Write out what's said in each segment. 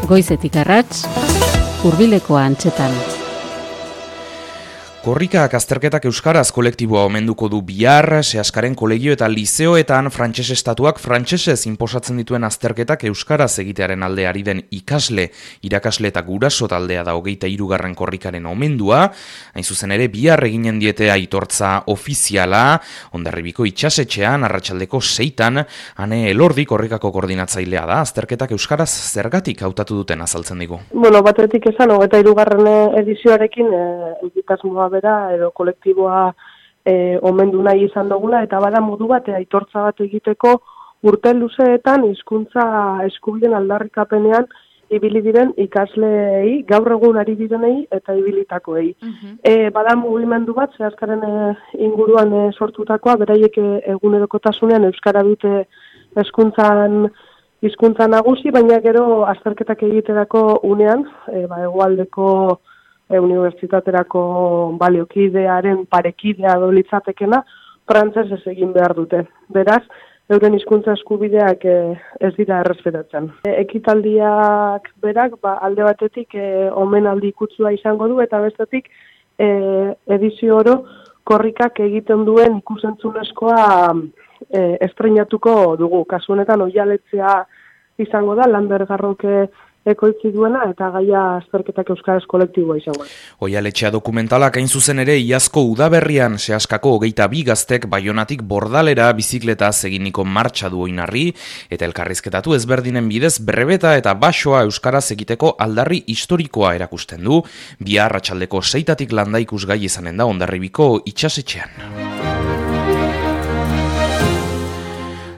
Goizetik arrats, hurbilekoa antzetan. Korrikak azterketak euskaraz kolektiboa omenduko du bihar, Seaskaren kolegio eta lizeoetan frantses estatuak frantsesez inposatzen dituen azterketak euskaraz egitearen alde ari den ikasle, irakasle eta guraso taldea da 23. korrikaren omendua, hain zuzen ere bihar eginen diete aitortza ofiziala, Hondarribiko itsasetxean arratsaldeko 6 Ane Elordi korrikako koordinatzailea da, azterketak euskaraz zergatik hautatu duten azaltzen digu. Batetik esan, 23. edizioarekin egitasmoa bera edo kolektiboa omendu nahi izan dugula, eta bada modu bat aitortza bat egiteko urte luzeetan hizkuntza eskubideen aldarrikapenean ibili diren ikasleei, gaur egun ari direnei eta ibilitakoei. Bada mugimendu bat, Seaskaren inguruan sortutakoa, beraiek egunerokotasunean euskara dute hizkuntza nagusi, baina gero azterketak egiterako unean, hegoaldeko unibertsitaterako baliokidearen parekidea dolitzatekena, frantsesez egin behar dute. Beraz, euren hizkuntza eskubideak ez dira errespetatzen. Ekitaldiak berak alde batetik omenaldi ikutzua izango du, eta bestetik edizio oro korrikak egiten duen ikusentzunezkoa estreinatuko dugu. Kasu honetan oihaletzea izango da, Lander Garroke ekoitzi duena, eta gaia azterketak euskaraz kolektiboa izango. Oihaletxea dokumentalak hain zuzen ere iazko udaberrian Seaskako 22 gaztek Baionatik Bordalera bizikletaz eginiko martxa du oinarri, eta elkarrizketatu ezberdinen bidez brebeta eta basoa euskaraz egiteko aldarri historikoa erakusten du, bihar arratsaldeko 6 landa ikusgai izanen da Hondarribiko itsasetxean.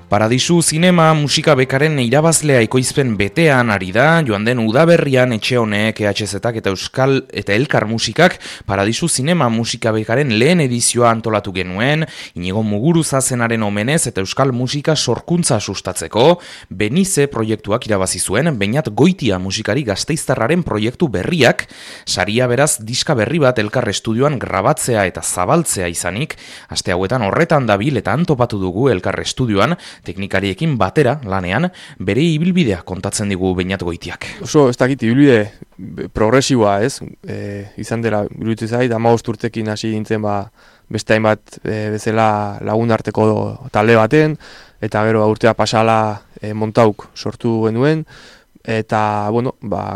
Paradisu Zinema musika bekaren irabazlea ekoizpen betean ari da, joan den udaberrian etxe honek EHZ-ak eta Euskal eta Elkar musikak Paradisu Zinema musika bekaren lehen edizioa antolatu genuen, Inigo Muguruza zenaren omenez eta Euskal musika sorkuntza sustatzeko, Benize proiektuak irabazi zuen, Beñat Goitia musikari gasteiztarraren proiektu berriak, saria beraz diska berri bat Elkar estudioan grabatzea eta zabaltzea izanik, aste hauetan horretan dabil eta antopatu dugu Elkar estudioan, teknikariekin batera lanean bere ibilbidea kontatzen digu Beñat Goitiak. Oso ez dakit ibilbide progresiboa, ez? Izan dela iruditzen zait 15 urtekin hasi nintzen beste hainbat bezala lagun arteko talde baten, eta gero urtea pasala Montauk sortu genuen, eta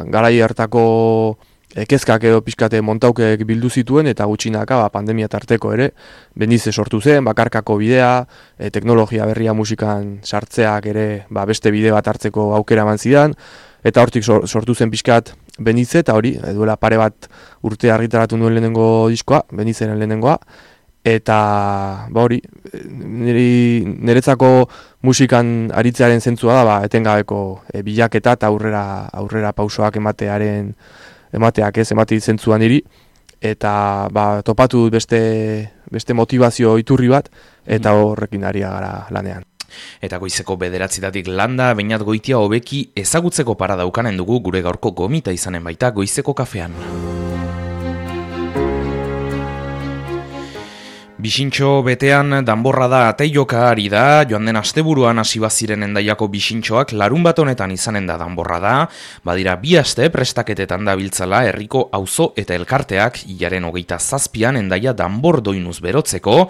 garai hartako kezkak edo pixkate Montaukek bildu zituen, eta gutxinaka pandemia tarteko ere, Benize sortu zen, bakarkako bidea, teknologia berria musikan sartzeak ere beste bide bat hartzeko aukera eman zidan, eta hortik sortu zen pixkat Benize, eta hori, duela pare bat urte argitaratu nuen lehenengo diskoa, Benizeren lehenengoa, eta hori, niretzako musikan aritzearen zentzua da, etengabeko bilaketa eta aurrera pausoak emateak zentzuan niri, eta topatu beste motivazio iturri bat, eta horrekin ari gara lanean. Eta goizeko 9 landa, Beñat Goitia hobeki ezagutzeko parada ukanen dugu gure gaurko gomita izanen baita goizeko kafean. Bixintxo betean danborra da ateioka ari da, joan den asteburuan hasi baziren Hendaiako bixintxoak larun bat honetan izanen da danborra da, badira 2 aste prestaketetan dabiltzala herriko auzo eta elkarteak, hilaren 27an Hendaia danbor doinuz berotzeko,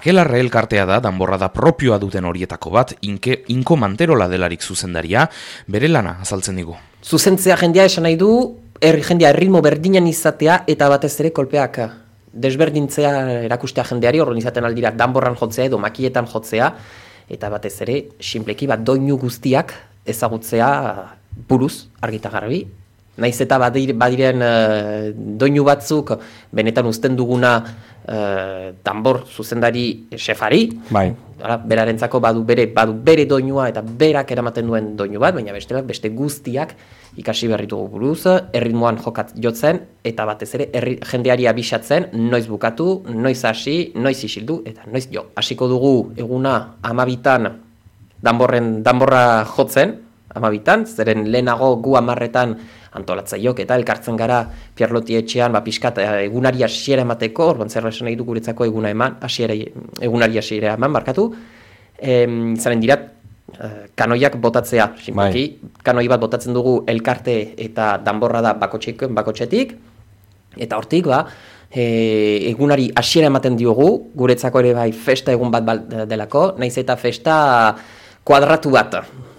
Akelarre elkartea da danborra da propioa duten horietako bat, Inko Manterola delarik zuzendaria, bere lana azaltzen digu. Zuzentzea jendea esan nahi du, jendea erritmo berdinan izatea eta batez ere kolpeak desberdintzea erakustea jendeari, horren izaten aldira danborran jotzea edo makietan jotzea, eta batez ere, sinpleki doinu guztiak ezagutzea buruz, argita garbi. Naiz eta badiren doinu batzuk, benetan uzten duguna danbor zuzendari xefari, berarentzako badu bere doinua eta berak eramaten duen doinu bat, baina beste guztiak ikasi berritugu buruz, erritmoan jotzen, eta batez ere jendeari abisatzen, noiz bukatu, noiz hasi, noiz isildu, eta noiz jo. Hasiko dugu eguna 12 danborra jotzen, 12, zeren lehenago gu 10 antolatzaiok eta elkartzen gara Pierloti etxean pixkat egunari hasiera emateko, orduan zer esan nahi du guretzako egunari hasiera eman, barkatu. Zaren dira kanoiak botatzea, sinpaki, kanoi bat botatzen dugu elkarte eta danborra da bakotxetik, eta hortik, egunari hasiera ematen diogu, guretzako ere bai festa egun bat delako, naiz eta festa kuadratu bat,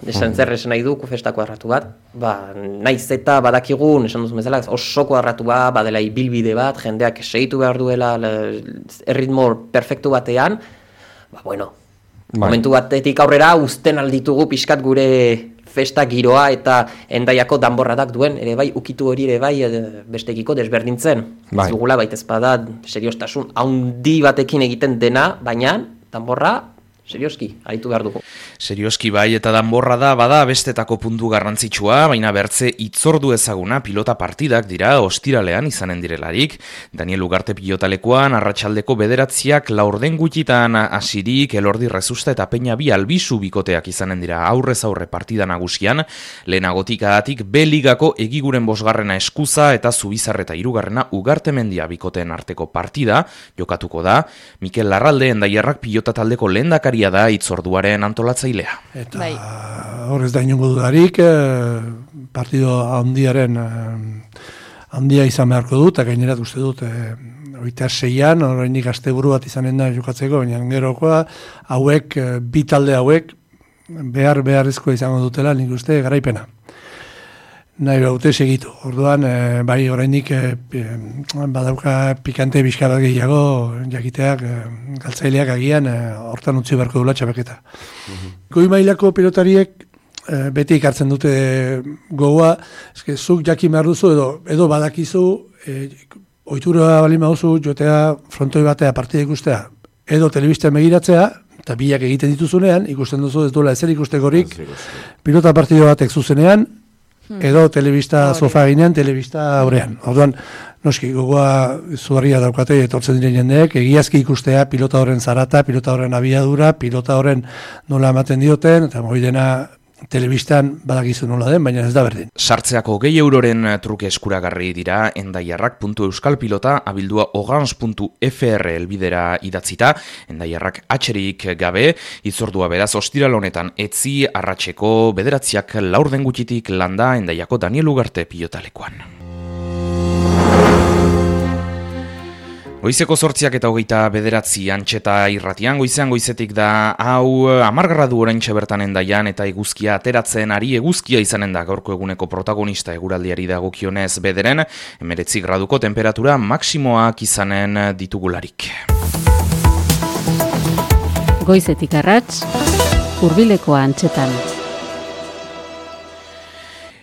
esan nahi du, festa kuadratu bat, naiz eta badakigun, esan duzu bezala, oso kuadratu bat, badela ibilbide bat, jendeak segitu behar duela erritmo perfektu batean, momentu batetik aurrera uzten alditugu pixkat gure festa giroa eta Hendaiako danborradak duen ere bai ukitu hori ere bai bestekiko desberdintzen. Ez dugula baitez bada seriostasun handi batekin egiten dena, baina danborra serioski, aritu behar dugu. Serioski bai, eta danborra da, bada bestetako puntu garrantzitsua, baina bertze itzordu ezaguna pilota partidak dira ostiralean izanen direlarik. Daniel Ugarte pilotalekoan, arratsaldeko 9:00 laurden gutxitan hasirik, Elordi Rezusta eta Peña bi Albizu bikoteak izanen dira aurrez aurre partida nagusian, lehenagotik adatik B-ligako egiguren 5. Eskuza eta Zubizar eta 3. Ugarte Mendia bikoteen arteko partida jokatuko da. Mikel Larralde Hendaiarrak pilota taldeko lehendakari da itzorduaren antolatzailea. Eta hor ez da inongo dudarik, partido handia izan beharko dut, eta gainerat uste dut, 26an, horreinik asteburu bat izanen da jokatzeko, baina gerokoa, hauek, bi talde hauek, beharrezkoa izango dutela, nik uste garaipena. Nahi baute segitu. Orduan, bai oraindik badauka pikante bizka bat gehiago jakiteak galtzaileak agian hortan utzi beharko dula txapelketa. Goi mailako pilotariek beti ikartzen dute gogoa, eske zuk jakin behar duzu edo badakizu ohitura baldin baduzu jotea frontoi batea partida ikustea edo telebistan begiratzea eta biak egiten dituzunean ikusten duzu ez duela ezer ikustekorik pilota partida batek zuzenean edo telebista sofa ginean, telebista aurrean. Orduan, noski, gogoa zugarria daukate etortzen diren jendeek, egiazki ikustea pilota horren zarata, pilota horren abiadura, pilota horren nola ematen dioten, eta hori dena telebistan badakizu nola den, baina ez da berdin. Sartzeako 2 euroren truke eskuragarri dira hendaiarrak.euskalpilota abildua ogans.fr elbidera idatzita, Hendaiarrak atxerik gabe, itzordua beraz ostiral honetan etzi arratseko 9:00 laurden gutxitik landa Hendaiako Daniel Ugarte pilotalekoan. Goizeko 8:29 Antxeta irratian, goizetik da hau 10 gradu oraintxe bertan Hendaian eta eguzkia ateratzen ari eguzkia izanen da gaurko eguneko protagonista eguraldiari dagokionez bederen, 19 graduko temperatura maksimoak izanen ditugularik. Goizetik arrats, Hurbileko Antxetan.